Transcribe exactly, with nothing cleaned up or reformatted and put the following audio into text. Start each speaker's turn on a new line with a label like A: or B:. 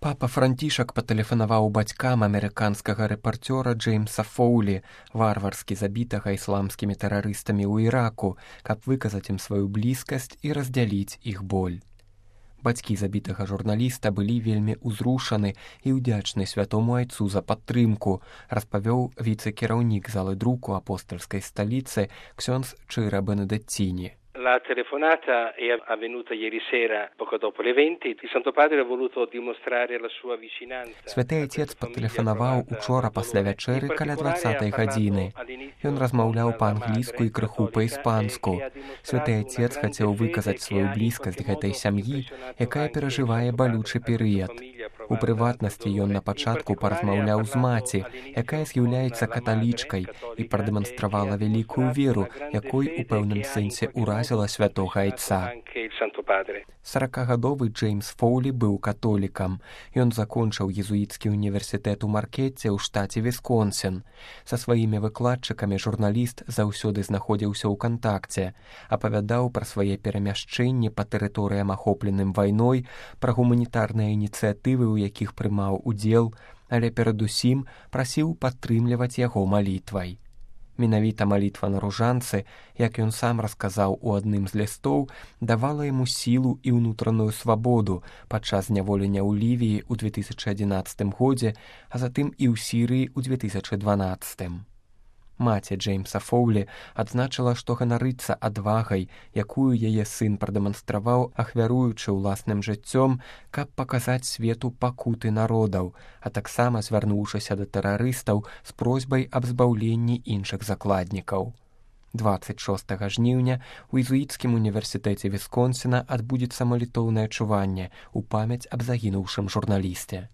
A: Папа Францішак патэлефанаваў бацькам амерыканскага рэпарцёра Джеймса Фоулі, варварскі забітага ісламскімі тэрарыстамі ў Іраку, каб выказаць ім сваю блізкасць і раздзяліць іх боль. Бацькі забітага журналіста былі вельмі ўзрушаны і ўдзячны святому айцу за падтрымку, распавёў віцэ-кіраўнік залы друку апостольскай сталіцы ксёндз Чира Бенедеттіні.
B: La telefonata è avvenuta ieri sera, poco dopo le venti. Il Santo Padre ha voluto dimostrare la sua vicinanza.
A: Святы Отец патэлефанаваў учора пасля вячэры каля дваццатай гадзіны. Ён размаўляў па-англійску і крыху па-іспанску. Святы Отец хацеў выказаць сваю блізкасць гэтай сям'і, якая перажывае балючы перыяд. У прыватнасці ён на пачатку паразмаўляў з маці, якая з'яўляецца каталічкай і прадэманстравала вялікую веру, якой у пэўным сэнсе ўразіла святога айца. саракагадовы Джеймс Фоулі быў католікам. Ён закончыў езуіцкі універсітэт у Маркетце ў штаце Вісконсін. Са сваімі выкладчыкамі журналіст заўсёды знаходзіўся ў кантакце, апавядаў пра свае перамяшчэнні па тэрыторыям ахопленым вайной, пра гуманітарныя ініцыятывы, у якіх прымаў удзел, але перадусім прасіў падтрымліваць яго малітвай. Менавіта малітва на ружанцы, як ён сам расказаў у адным з лістоў, давала яму сілу і ўнутраную свабоду падчас зняволення ў Лівіі ў две тысячы адзінаццатым годзе, а затым і ў Сірыі ў две тысячы дванаццатым. Маці Джеймса Фоулі адзначыла, што ганарыцца адвагай, якую яе сын прадэманстраваў, ахвяруючы ўласным жыццём, каб паказаць свету пакуты народаў, а таксама звярнуўшыся да тэрарыстаў з просьбай аб збаўленні іншых закладнікаў. дваццаць шостага жніўня у езуіцкім універсітэце Вісконсіна адбудзецца малітоўнае чуванне ў памяць аб загінуўшым журналісце.